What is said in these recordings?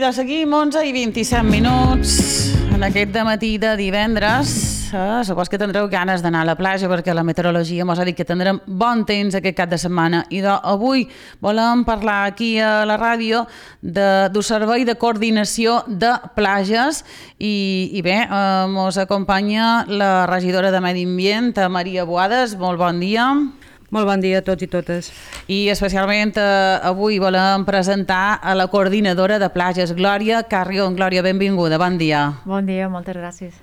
seguida seguim, 11:27 en aquest dematí de divendres. Supos que tindreu ganes d'anar a la platja perquè la meteorologia ens ha dit que tindrem bon temps aquest cap de setmana. I avui volem parlar aquí a la ràdio del servei de coordinació de platges i bé, ens acompanya la regidora de Medi Ambient, Maria Boades. Molt bon dia. Molt bon dia a tots i totes. I especialment avui volem presentar a la coordinadora de platges, Glòria Carrion. Glòria, benvinguda, bon dia. Bon dia, moltes gràcies.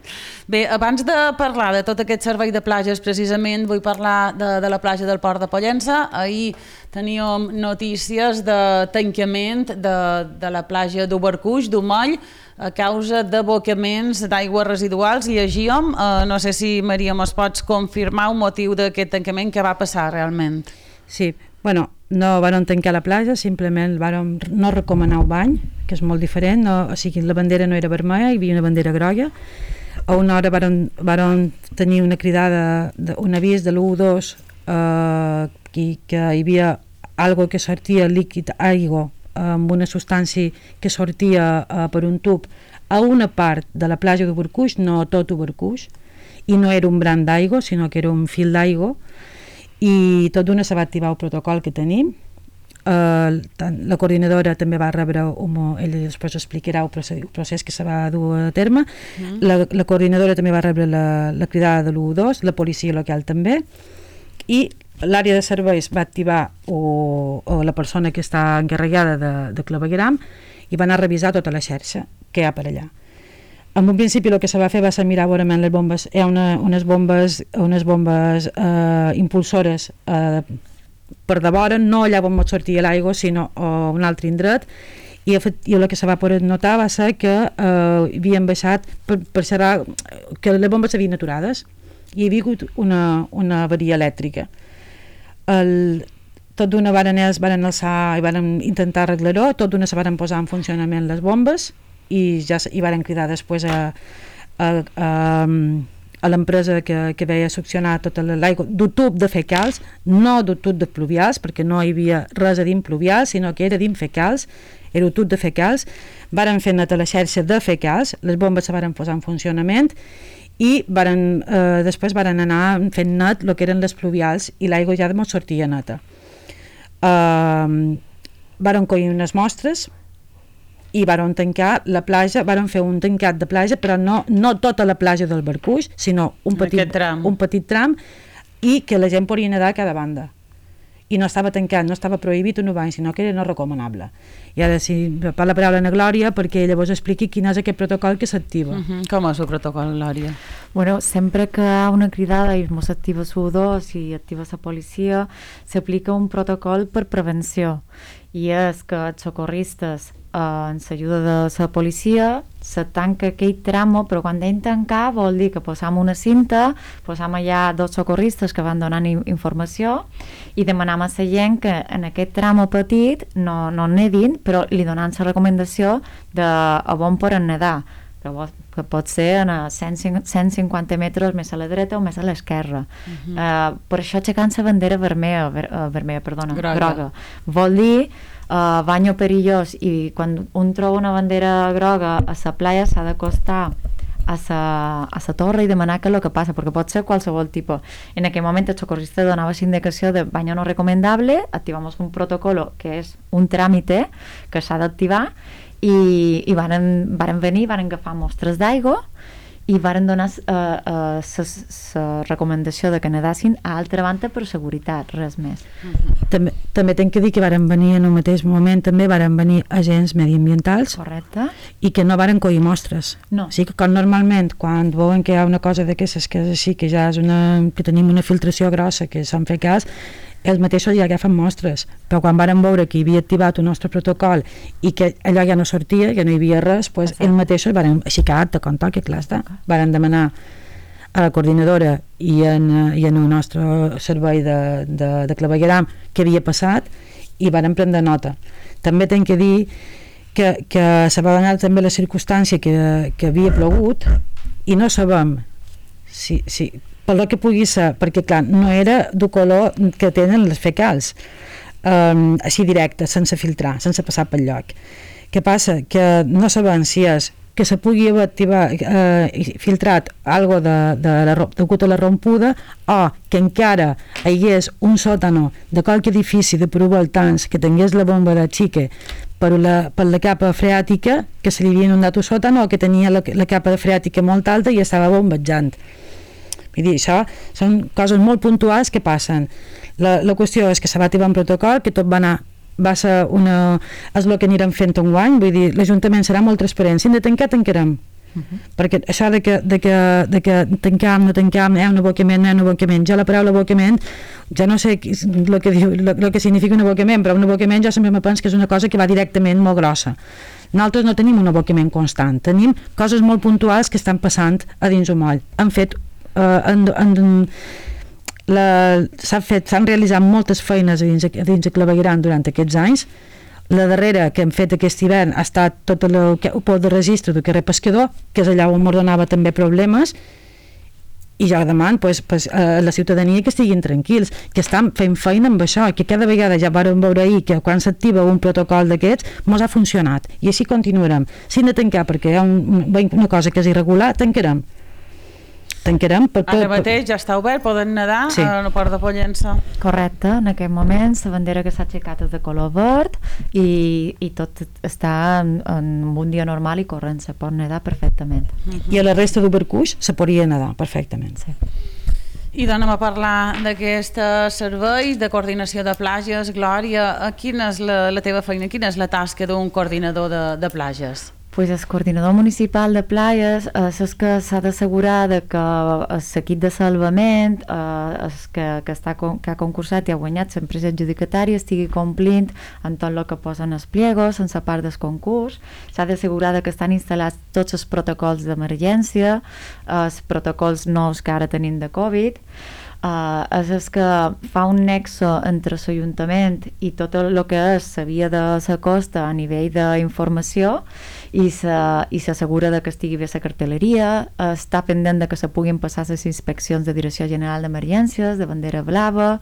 Bé, abans de parlar de tot aquest servei de platges, precisament vull parlar de la platja del Port de Pollença. Ahir teníem notícies de tancament de la platja d'Ubercuix, d'Umoll, a causa d'abocaments d'aigües residuals. Llegíem, no sé si Maria mos pots confirmar un motiu d'aquest tancament, què va passar realment. Sí, bueno, no vàrem tancar la platja, simplement vàrem no recomanar el bany, que és molt diferent, o sigui, la bandera no era vermella, hi havia una bandera groga. A una hora vàrem tenir una cridada, un avís de l'112 que hi havia algo que sortia líquid, aigua, amb una substància que sortia per un tub a una part de la platja d'Ubercuix, no tot Ubercuix, i no era un bran d'aigua, sinó que era un fil d'aigua, i tot d'una se va activar el protocol que tenim. La coordinadora també va rebre, ella després explicarà el procés que se va dur a terme. La coordinadora també va rebre la cridada de l'112, la policia local també, i l'àrea de serveis va activar o la persona que està encarregada de clavegueram i va anar a revisar tota la xarxa que hi ha per allà. En un principi el que se va fer va ser mirar veurament les bombes. Hi ha unes bombes impulsores per de vora, no allà on sortia l'aigua, sinó a un altre indret, i el que se va poder notar va ser que havien baixat per saber que les bombes s'havien aturades i hi havia hagut una avaria elèctrica. Tot d'una varen alçar i varen intentar arreglar-ho, tot d'una se varen posar en funcionament les bombes i ja hi varen cridar després a l'empresa que veia succionar tota l'aigua d'un tub de fecals, no d'un tub de pluvials, perquè no hi havia res a dins pluvials, sinó que era dins fecals, era un tub de fecals. Varen fer neta la xarxa de fecals, les bombes se varen posar en funcionament i després varen anar fent net el que eren les pluvials i l'aigua ja no sortia neta. Varen collir unes mostres i varen tancar la platja, varen fer un tancat de platja, però no tota la platja del Barcuix, sinó un petit tram, i que la gent podia nedar a cada banda. I no estava tancat, no estava prohibit un bany, sinó que era no recomanable. I ara si per la paraula a Glòria perquè ella vos expliqui quin és aquest protocol que s'activa. Com és el protocol, Glòria? Bueno, sempre que hi ha una cridada i s'activa l'112 i activa la policia, s'aplica un protocol per prevenció, i és que els socorristes amb l'ajuda de la policia se tanca aquell tramo, però quan dèiem tancar vol dir que posam una cinta, posam allà dos socorristes que van donant informació i demanam a la gent que en aquest tramo petit no nedin, però li donant la recomanació de a on poden nedar, que pot ser a 150 metres més a la dreta o més a l'esquerra. Per això aixecant la bandera groga. Vol dir banyo perillós, i quan un troba una bandera groga a la playa s'ha d'acostar a la torre i demanar què és el que passa, perquè pot ser qualsevol tipus. En aquell moment el socorrista donava la indicació de banyo no recomendable, activamos un protocolo que és un tràmite que s'ha d'activar i varen venir, varen agafar mostres d'aigua i varen donar la recomanació de que nedassin a altra banda per seguretat, res més. També tenc que dir que varen venir en el mateix moment, també varen venir agents mediambientals. Correcte. I que no varen collir mostres. No. O sigui que com normalment quan veuen que hi ha una cosa d'aquestes que és així, que ja és que tenim una filtració grossa, que s'han fet cas, ells mateixos ja agafen mostres, però quan varen veure que hi havia activat el nostre protocol i que allò ja no sortia, que no hi havia res, doncs ells mateixos varen aixecar de compte que clar està, varen demanar a la coordinadora i en el nostre servei de clavegueram què havia passat i varen prendre nota. També tenc que dir que se va donar també la circumstància que havia plogut i no sabem si pel que pugui ser, perquè clar, no era del color que tenen les fecals, així directe, sense filtrar, sense passar pel lloc. Què passa? Que no sabem si és que se pugui haver activat, filtrat algo degut a la rompuda, o que encara hi hagués un sòtano de qualque edifici de prou voltants que tingués la bomba de xique per la capa freàtica, que se li havia inundat un sòtano, o que tenia la capa freàtica molt alta i estava bombejant. Vull dir, això són coses molt puntuals que passen. La qüestió és que se va activar un protocol, que tot és el que anirem fent enguany. Vull dir, l'Ajuntament serà molt transparent. Si hem de tancar, tancarem. Perquè això de que tancam, no tancam, un abocament, no un abocament, jo la paraula abocament ja no sé el que significa un abocament, però un abocament jo sempre me penso que és una cosa que va directament molt grossa. Nosaltres no tenim un abocament constant, tenim coses molt puntuals que estan passant a dins un moll. Han fet s'han realitzat moltes feines a dins de Clavegueran durant aquests anys. La darrera que hem fet aquest hivern ha estat tot el pot de registre del carrer Pescador, que és allà on m'ordenava també problemes, i jo demano a la ciutadania que estiguin tranquils, que estan fent feina amb això, que cada vegada ja vam veure ahir que quan s'activa un protocol d'aquests mos ha funcionat, i així continuarem. Si hem de tancar perquè hi ha una cosa que és irregular, tancarem. Ara mateix ja està obert, poden nedar a la Port de Pollença. Correcte, en aquest moment la bandera que s'ha aixecat és de color verd i tot està en un dia normal i corrent, se pot nedar perfectament. I a la resta d'Ubercuix se podria nedar perfectament. Sí. I anem a parlar d'aquest servei de coordinació de platges. Glòria, quina és la teva feina, quina és la tasca d'un coordinador de platges? Pues el coordinador municipal de platges és que s'ha d'assegurar que l'equip de salvament que ha concursat i ha guanyat l'empresa adjudicatària estigui complint en tot el que posen els pliegos, en la part del concurs. S'ha d'assegurar que estan instal·lats tots els protocols d'emergència, els protocols nous que ara tenim de Covid. És que fa un nexe entre l'Ajuntament i tot el que és la via de la costa a nivell d'informació i s'assegura que estigui bé la cartelleria, està pendent de que se puguin passar les inspeccions de Direcció General d'Emergències, de bandera blava,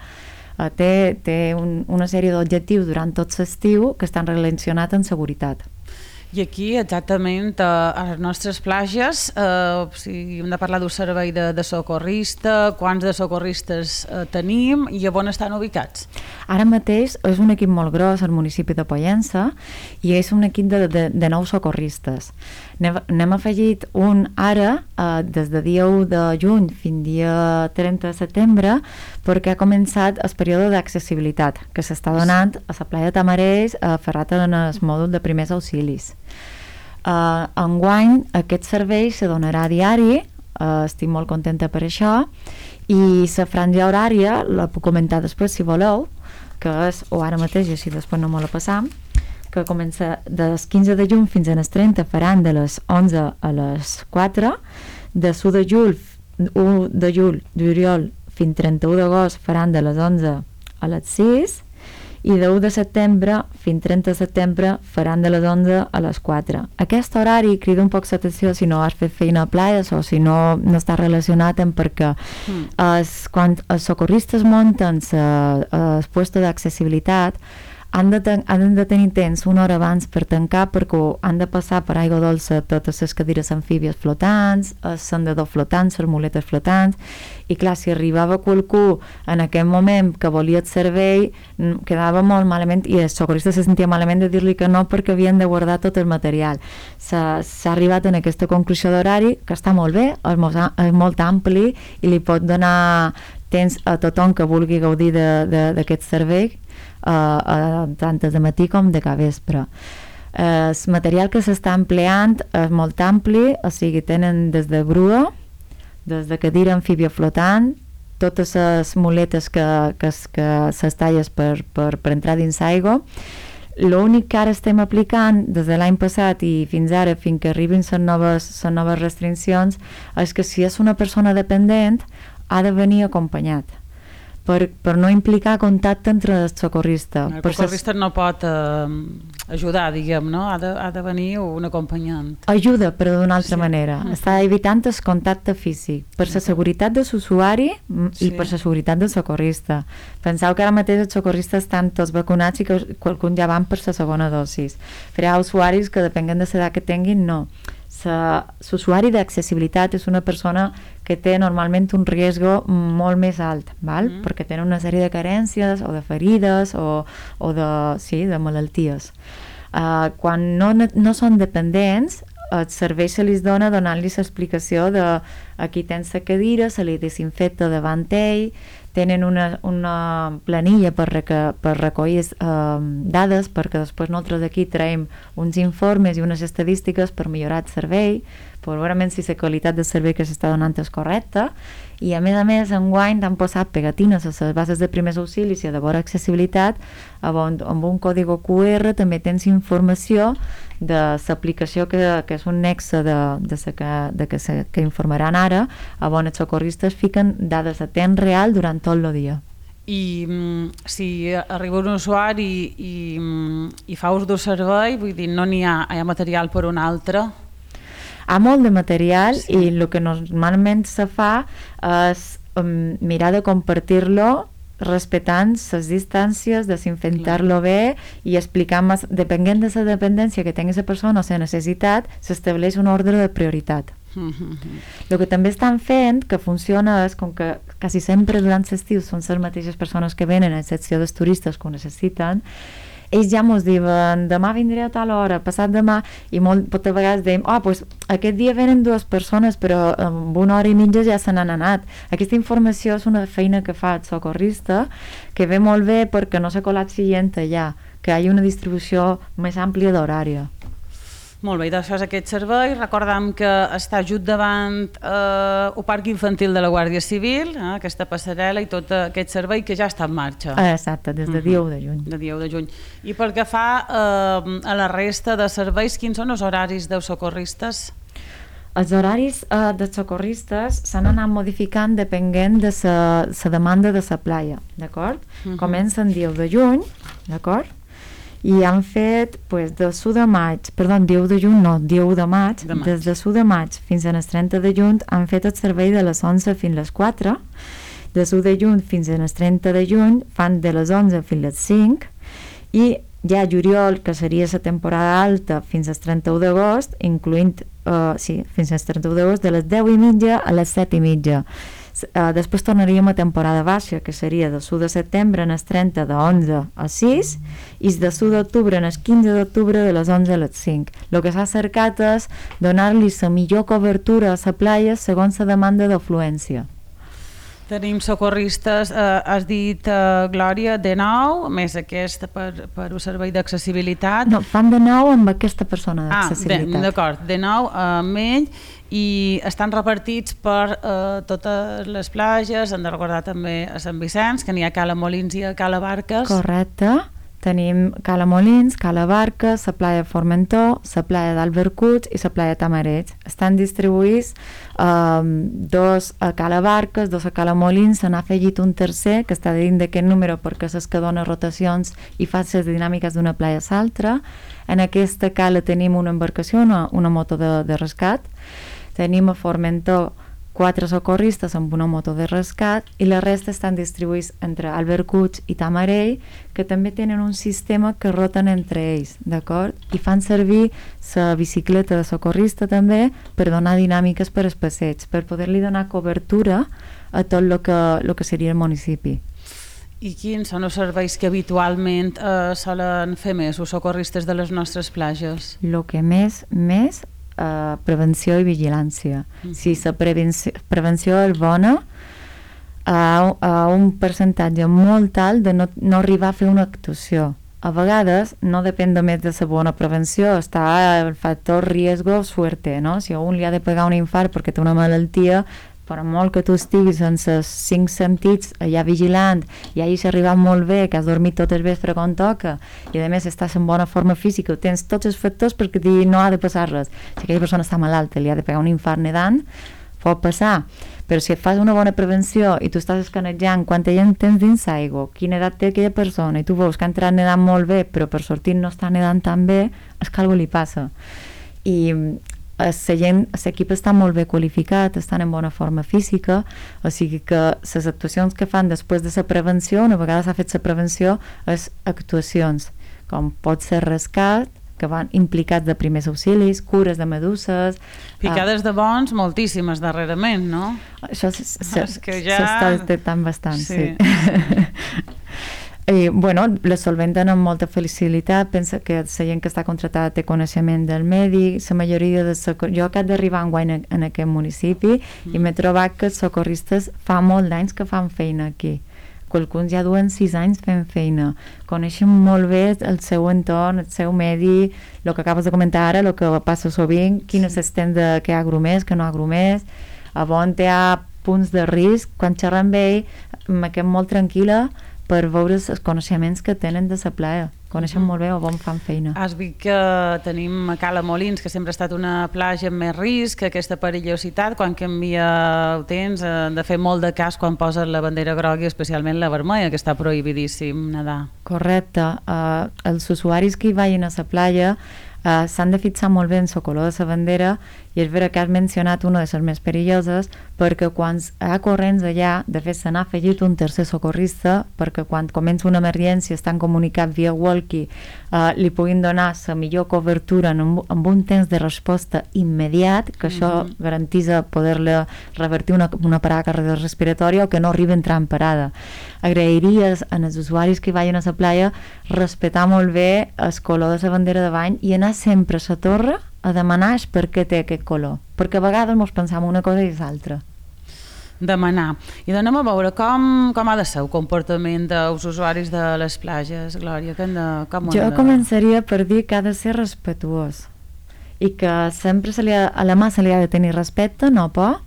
té una sèrie d'objectius durant tot l'estiu que estan relacionats amb seguretat. I aquí, exactament, a les nostres platges, si hem de parlar d'un servei de socorrista, quants de socorristes tenim i on estan ubicats? Ara mateix és un equip molt gros al municipi de Pollença i és un equip de 9 socorristes. N'hem afegit un ara, des de dia 1 de juny fins dia 30 de setembre, perquè ha començat el període d'accessibilitat que s'està donant a la playa de Tamarells, ferrat en el mòdul de primers auxilis. Enguany aquest servei se donarà a diari, estic molt contenta per això, i la franja horària la puc comentar després si voleu, que és, o ara mateix, i així després no me la passam, que comença des 15 de juny fins al 30, faran de les 11 a les 4, de 1 de juliol fins 31 d'agost faran de les 11 a les 6, i de 1 de setembre fins 30 de setembre faran de les 11 a les 4. Aquest horari crida un poc l'atenció si no has fet feina a platges o si no està relacionat amb perquè quan els socorristes munten el puesto d'accessibilitat han de tenir temps una hora abans per tancar perquè han de passar per aigua dolça totes les cadires amfíbies flotants, els sendadors flotants, les muletes flotants, i clar, si arribava qualcú en aquell moment que volia el servei, quedava molt malament i el socorrista se sentia malament de dir-li que no perquè havien de guardar tot el material. S'ha arribat en aquesta conclusió d'horari que està molt bé, és molt ampli i li pot donar temps a tothom que vulgui gaudir d'aquest servei, tant de matí com de capvespre. El material que s'està empleant és molt ampli, o sigui, tenen des de grua, des de cadira amfíbia flotant, totes les muletes que s'estalles per entrar dins l'aigua. L'únic que ara estem aplicant des de l'any passat i fins ara, fins que arribin les noves restriccions, és que si és una persona dependent ha de venir acompanyat, per no implicar contacte entre el socorrista. El socorrista no pot ajudar, diguem, no? Ha de venir un acompanyant. Ajuda, però d'una altra manera. Està evitant el contacte físic per la seguretat de l'usuari i per la seguretat del socorrista. Penseu que ara mateix els socorristes estan tots vacunats i que qualcun ja van per la segona dosis. Però hi ha usuaris que, depenent de l'edat que tinguin, no. L'usuari d'accessibilitat és una persona que té normalment un risc molt més alt, val? Perquè tenen una sèrie de carències o de ferides o de malalties. Quan no són dependents, el servei se li dona donant-li l'explicació de aquí tens la cadira, se li desinfecta davant ell, tenen una planilla per recollir dades, perquè després nosaltres d'aquí traiem uns informes i unes estadístiques per millorar el servei, per veure si la qualitat del servei que s'està donant és correcta, i a més enguany t'han posat pegatines a les bases de primers auxilis i de bona accessibilitat, amb un còdigo QR també tens informació de l'aplicació que és un nexe que informaran ara, on els socorristes fiquen dades a temps real durant tot el dia. I si arriba un usuari i fa ús d'un servei, vull dir, no n'hi ha material per un altre? Hi ha molt de material i el que normalment se fa és mirar de compartir-lo respectant les distàncies, desinfectar-lo bé i explicar, depenent de la dependència que tingui la persona o la necessitat, s'estableix un ordre de prioritat. El que també estan fent, que funciona, és com que quasi sempre durant l'estiu són les mateixes persones que venen, a excepció dels turistes que ho necessiten, ells ja mos diuen, demà vindré a tal hora, passat demà, i moltes vegades dèiem, pues aquest dia venen 2 persones, però en 1 hora i mitja ja se n'han anat. Aquesta informació és una feina que fa el socorrista, que ve molt bé perquè no se col·lapsi gent allà, que hi hagi una distribució més àmplia d'horària. Molt bé, això és aquest servei. Recordem que està just davant el Parc Infantil de la Guàrdia Civil, aquesta passarel·la i tot aquest servei que ja està en marxa. Exacte, des de dia 1 de juny. De dia 1 de juny. I pel que fa a la resta de serveis, quins són els horaris dels socorristes? Els horaris dels socorristes s'han anat modificant depenent de la demanda de la playa, d'acord? Comencen dia 1 de juny, d'acord? I han fet, dia 1 de maig, dia 1 de juny no, dia 1 de maig, des de 1 de maig fins al 30 de juny han fet el servei de les 11 fins a les 4, des 1 de juny fins al 30 de juny fan de les 11 fins a les 5 i ja juliol, que seria la temporada alta, fins al 31 d'agost, incloent, fins al 31 d'agost, de les 10 i mitja a les 7 i mitja. Després tornaríem a temporada baixa, que seria del 1 de setembre en el 30 de 11 a 6 i del 1 d'octubre en el 15 d'octubre de les 11 a les 5. El que s'ha cercat és donar-li la millor cobertura a la playa segons la demanda d'afluència. Tenim socorristes, has dit, Glòria, de 9, més aquest per un servei d'accessibilitat. No, fan de 9 amb aquesta persona d'accessibilitat. D'acord, de 9 amb ell, i estan repartits per totes les platges. Hem de recordar també a Sant Vicenç, que n'hi ha a Cala Molins i a Cala Barques. Correcte. Tenim Cala Molins, Cala Barques, la playa de Formentor, la playa d'Albercuts i la playa de Tamareig. Estan distribuïts 2 a Cala Barques, 2 a Cala Molins, se n'ha afegit un tercer que està dins d'aquest número perquè és que dona rotacions i fa les dinàmiques d'una playa a l'altra. En aquesta cala tenim una embarcació, una moto de rescat. Tenim a Formentor 4 socorristes amb una moto de rescat i la resta estan distribuïts entre Albercuts i Tamarell, que també tenen un sistema que roten entre ells, d'acord? I fan servir la bicicleta de socorrista també per donar dinàmiques per als passeigs, per poder-li donar cobertura a tot el que seria el municipi. I quins són els serveis que habitualment solen fer més els socorristes de les nostres platges? El que més prevenció i vigilància. Si la prevenció és bona, a un percentatge molt alt de no arribar a fer una actuació. A vegades no depèn només de la bona prevenció, està el factor riesgo suerte, no? Si a un li ha de pegar un infart perquè té una malaltia, per molt que tu estiguis sense els 5 sentits allà vigilant i hagis arribat molt bé, que has dormit tot el vespre quan toca i a més estàs en bona forma física, tens tots els factors perquè no ha de passar res. Si aquella persona està malalta, li ha de pegar un infart nedant, pot passar, però si et fas una bona prevenció i tu estàs escanejant quanta gent tens dins l'aigua, quina edat té aquella persona, i tu veus que ha entrat nedant molt bé però per sortir no està nedant tan bé, és que alguna li passa. I l'equip està molt bé qualificat, estan en bona forma física, o sigui que les actuacions que fan després de la prevenció, una vegada s'ha fet la prevenció, és actuacions, com pot ser rescat, que van implicats de primers auxilis, cures de meduses... Picades de bons, moltíssimes darrerament, no? Això s'està detectant bastant, sí. I, bueno, les solventen amb molta facilitat, pensa que la gent que està contratada té coneixement del medi, la majoria de jo acabo d'arribar enguany en aquest municipi i m'he trobat que els socorristes fa molt d'anys que fan feina aquí. Qualcuns ja duen 6 anys fent feina, coneixen molt bé el seu entorn, el seu medi, el que acabes de comentar ara, el que passa sovint, quin és l'estem de que hi ha grumers, que no hi ha grumers, on hi ha punts de risc, quan xerrem amb ell me quedo molt tranquil·la per veure els coneixements que tenen de la playa. Coneixen molt bé on fan feina. Has vist que tenim a Cala Molins, que sempre ha estat una platja amb més risc, aquesta perillositat, quan canvia el temps, de fer molt de cas quan posen la bandera groga i especialment la vermella, que està prohibidíssim nedar. Correcte. Els usuaris que hi vagin a la platja s'han de fixar molt bé en el color de la bandera i és vera que has mencionat una de les més perilloses perquè quan hi ha corrents allà, de fet se n'ha afegit un tercer socorrista perquè quan comença una emergència estan comunicats via walkie, li puguin donar la millor cobertura amb un temps de resposta immediat, que això garanteix poder-le revertir una parada cardiorrespiratòria o que no arribi a entrar en parada. Agrairies als usuaris que vagin a la platja respectar molt bé el color de la bandera de bany i anar sempre a la torre a demanar per què té aquest color, perquè a vegades ens pensam una cosa i l'altra. Demanar. I anem a veure com ha de ser el comportament dels usuaris de les platges, Glòria. Jo començaria per dir que ha de ser respetuós i que sempre a la mà se li ha de tenir respecte, no por,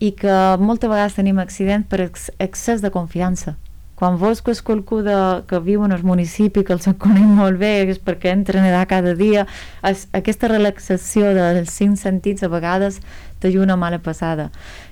i que moltes vegades tenim accidents per excés de confiança. Quan veus que és qualcú que viu en el municipi, que els coneix molt bé, és perquè entra a nedar cada dia, aquesta relaxació dels 5 sentits a vegades te juga una mala passada.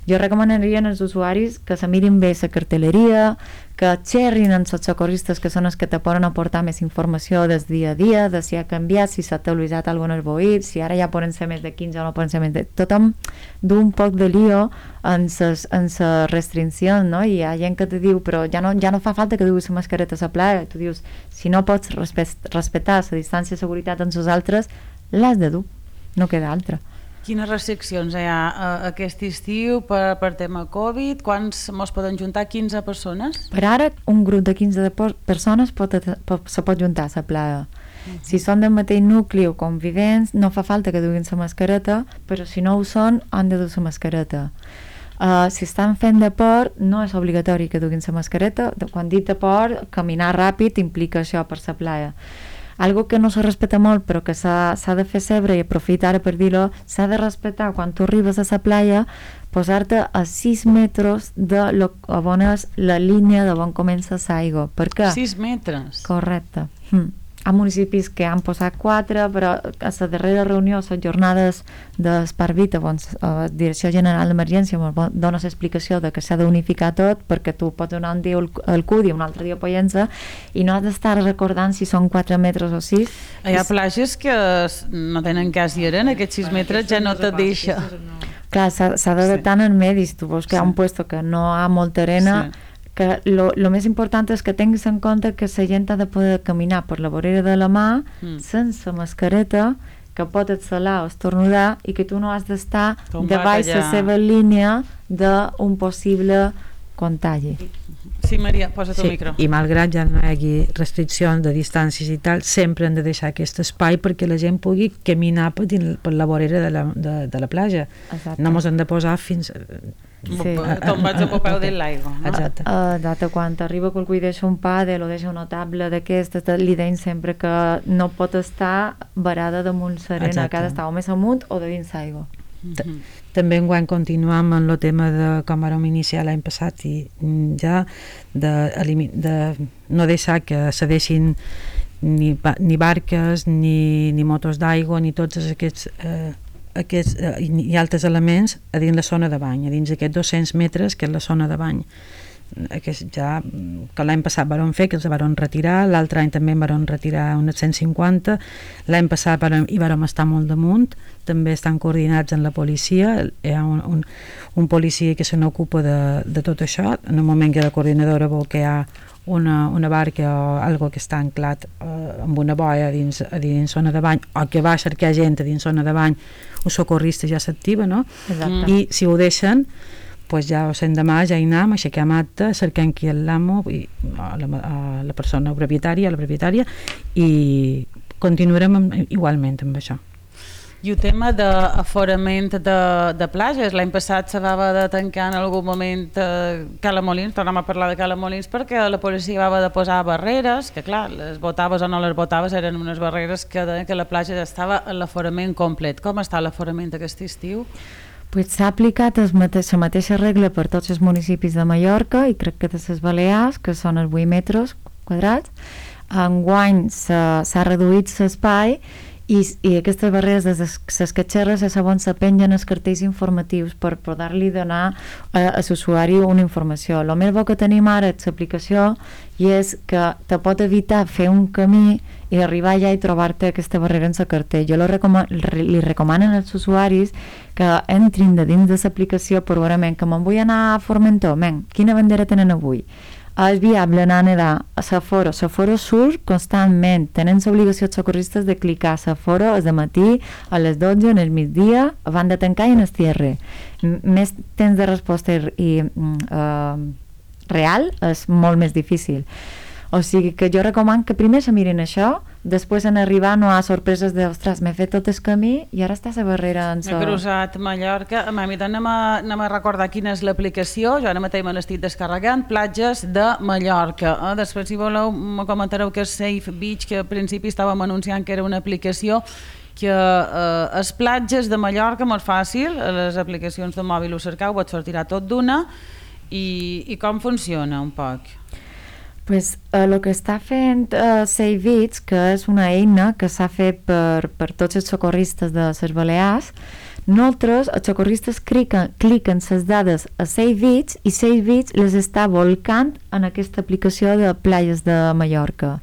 Jo recomanaria als usuaris que se mirin bé la cartelleria, que xerrin amb els socorristes que són els que te poden aportar més informació del dia a dia, de si ha canviat, si s'ha actualitzat alguna cosa al si ara ja poden ser més de 15 o no poden ser més de... Tothom du un poc de lío en les restriccions, no? I hi ha gent que te diu, però ja no fa falta que duguis la mascareta a la playa. Tu dius, si no pots respectar la distància de seguretat amb els altres, l'has de dur, no queda altra. Quines restriccions hi ha aquest estiu per tema Covid? Quants mos poden juntar? 15 persones? Per ara, un grup de 15 persones se pot juntar a la playa. Si són del mateix nucli o convivents, no fa falta que duguin la mascareta, però si no ho són, han de dur la mascareta. Si estan fent deport, no és obligatori que duguin la mascareta. Quan dic deport, caminar ràpid implica això per la playa. Algo que no se respecta molt però que s'ha de fer sempre i aprofitar ara per dir-ho, s'ha de respectar quan tu arribes a la playa posar-te a 6 metres de on és la línia de on comença l'aigua. Per què? 6 metres? Correcte. Hi ha municipis que han posat 4, però a la darrera reunió, a les jornades d'Esparvita, on la Direcció General d'Emergència dona l'explicació de que s'ha d'unificar tot, perquè tu pots donar un dia el CUD i un altre dia Pollença, i no has d'estar recordant si són 4 metres o 6. Hi ha platges que no tenen cas i eren, aquests 6 metres ja no te deixa. Clar, s'ha d'adaptar en medis, tu veus que hi ha un puesto que no hi ha molta arena, que lo més important és que tinguis en compte que la gent ha de poder caminar per la vorera de la mà sense mascareta, que pot exhalar o estornudar i que tu no has d'estar davall la seva línia d'un possible contagi. Sí, Maria, posa't el micro. I malgrat ja no hi hagi restriccions de distàncies i tal, sempre hem de deixar aquest espai perquè la gent pugui caminar per la vorera de la platja. Exacte. No ens hem de posar fins... Tombats a popeu de l'aigua. Exacte. Quan arriba qualcú i deixa un pàdel o deixa una taula d'aquestes, li deim sempre que no pot estar varada damunt serena, que ha d'estar o més amunt o de dins l'aigua. També enguany continuam amb el tema de com vam iniciar l'any passat i ja de no deixar que cedeixin ni barques ni motos d'aigua ni tots aquests i altres elements a dins la zona de bany, a dins aquests 200 metres que és la zona de bany. Ja, que l'any passat van fer, que els van retirar, l'altre any també van retirar unes 150, l'any passat hi vam estar molt damunt, també estan coordinats amb la policia, hi ha un policia que se n'ocupa de tot això, en el moment que la coordinadora vol que hi ha una barca o algo que està anclat amb una boia a dins zona de bany, o que va a cercar gent a dins zona de bany, un socorrista ja s'activa, no? Exacte. I si ho deixen, pues ja l'endemà ja hi anem, aixequem acte, cerquem qui és l'amo, a la persona propietària, i continuarem igualment amb això. I el tema d'aforament de plages, l'any passat se va de tancar en algun moment Cala Molins, tornem a parlar de Cala Molins, perquè la policia va haver de posar barreres, que clar, les botaves o no les botaves eren unes barreres que deien que la platja ja estava en l'aforament complet. Com està l'aforament aquest estiu? Pues s'ha aplicat la mateixa regla per tots els municipis de Mallorca i crec que de les Balears, que són els 8 metres quadrats. Enguany s'ha reduït l'espai i aquestes barreres de les catxerres a segons s'apengen els cartells informatius per poder-li donar a l'usuari una informació. El més bo que tenim ara és l'aplicació i és que te pot evitar fer un camí i arribar allà i trobar-te aquesta barrera en el cartell. Jo li recomanen als usuaris que entrin de dins de l'aplicació per veure, que me'n vull anar a Formentor, quina bandera tenen avui? És viable anar a nedar a Saforo. Saforo surt constantment, tenen l'obligació els socorristes de clicar a Saforo de matí, a les 12, en el migdia, abans de tancar i en el cierre. Més temps de resposta real és molt més difícil. O sigui que jo recomano que primer se mirin això, després en arribar no hi ha sorpreses de, ostres, m'he fet tot el camí i ara està la barrera en M'he cruzat Mallorca. Anem a recordar quina és l'aplicació. Jo ara mateix me l'estic descarregant. Platges de Mallorca. Després, si voleu, me comentareu que és Safe Beach, que al principi estàvem anunciant que era una aplicació que les platges de Mallorca, molt fàcil, a les aplicacions de mòbil ho cercau, vos sortirà tot d'una. I com funciona un poc? Pues, el que està fent Save Beach, que és una eina que s'ha fet per tots els socorristes de les Balears, nosaltres, els socorristes cliquen les dades a Save Beach i Save Beach les està volcant en aquesta aplicació de platges de Mallorca.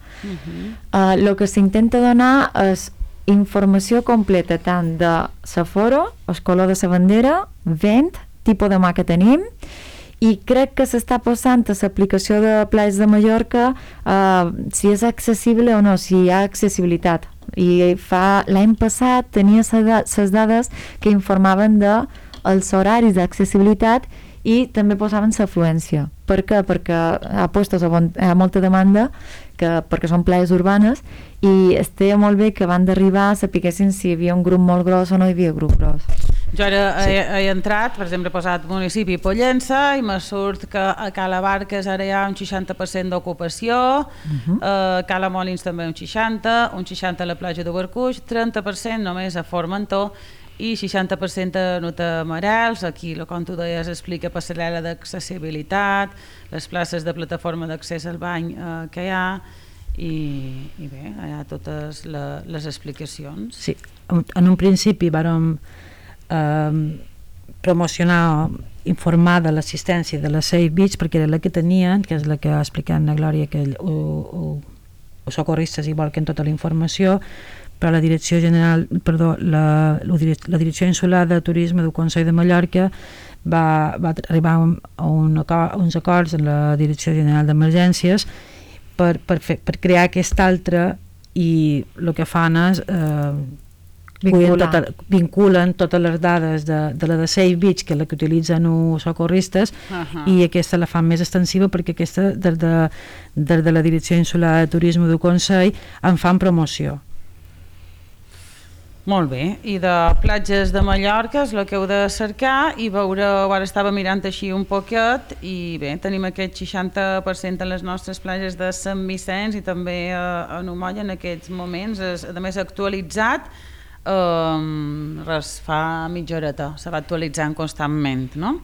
El que s'intenta donar és informació completa tant de l'aforo, el color de la bandera, vent, tipus de mà que tenim, i crec que s'està posant a l'aplicació de platges de Mallorca si és accessible o no, si hi ha accessibilitat. I l'any passat tenia les dades que informaven dels horaris d'accessibilitat i també posaven l'afluència. Per què? Perquè a postos hi ha molta demanda, perquè són platges urbanes, i estaria molt bé que van d'arribar sapiguessin si hi havia un grup molt gros o no hi havia grup gros. Jo ara he entrat, per exemple, he posat municipi Pollença i me surt que a Cala Barques ara hi ha un 60% d'ocupació, a Cala Molins també un 60% a la platja de Barcuix, 30% només a Formentor i 60% a Nutamarels. Aquí, com tu deies, explica passarel·la d'accessibilitat, les places de plataforma d'accés al bany que hi ha i bé, hi ha totes les explicacions. Sí, en un principi vàrem promocionar, informar de l'assistència de la Safe Beach perquè era la que tenien, que és la que ha explicat la Glòria, que els socorristes hi volquen tota la informació, però la Direcció Insular de Turisme del Consell de Mallorca va arribar a uns acords amb la Direcció General d'Emergències per crear aquest altre, i el que fan és vinculen totes les dades de la de Safe Beach, que és la que utilitzen els socorristes, i aquesta la fan més extensiva perquè aquesta des de la Direcció Insular de Turisme del Consell en fan promoció. Molt bé, i de platges de Mallorca és el que heu de cercar i veureu, ara estava mirant així un poquet i bé, tenim aquest 60% en les nostres platges de Sant Vicenç i també a Numolla en aquests moments, a més actualitzat, res, fa mitja horeta, se va actualitzant constantment, no?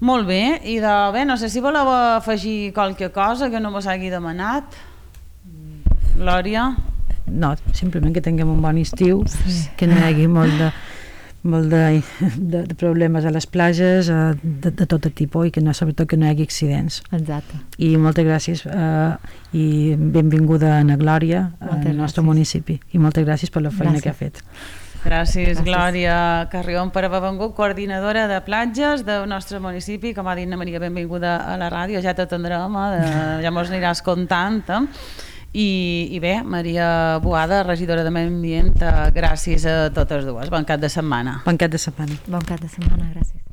Molt bé, i bé, no sé si voleu afegir qualque cosa que no vos hagi demanat. Glòria? No, simplement que tinguem un bon estiu, que no hi hagi molt molt de problemes a les platges de tot tipus i que sobretot que no hi hagi accidents. Exacte. I moltes gràcies i benvinguda a Glòria al nostre municipi i moltes gràcies per la feina que ha fet. Gràcies, Glòria Carrión, per haver vengut, coordinadora de platges del nostre municipi. Com ha dit Maria, benvinguda a la ràdio, ja t'atendrem, ja mos aniràs contant. I bé, Maria Boada, regidora de Medi Ambient, gràcies a totes dues. Bon cap de setmana. Bon cap de setmana. Bon cap de setmana, gràcies.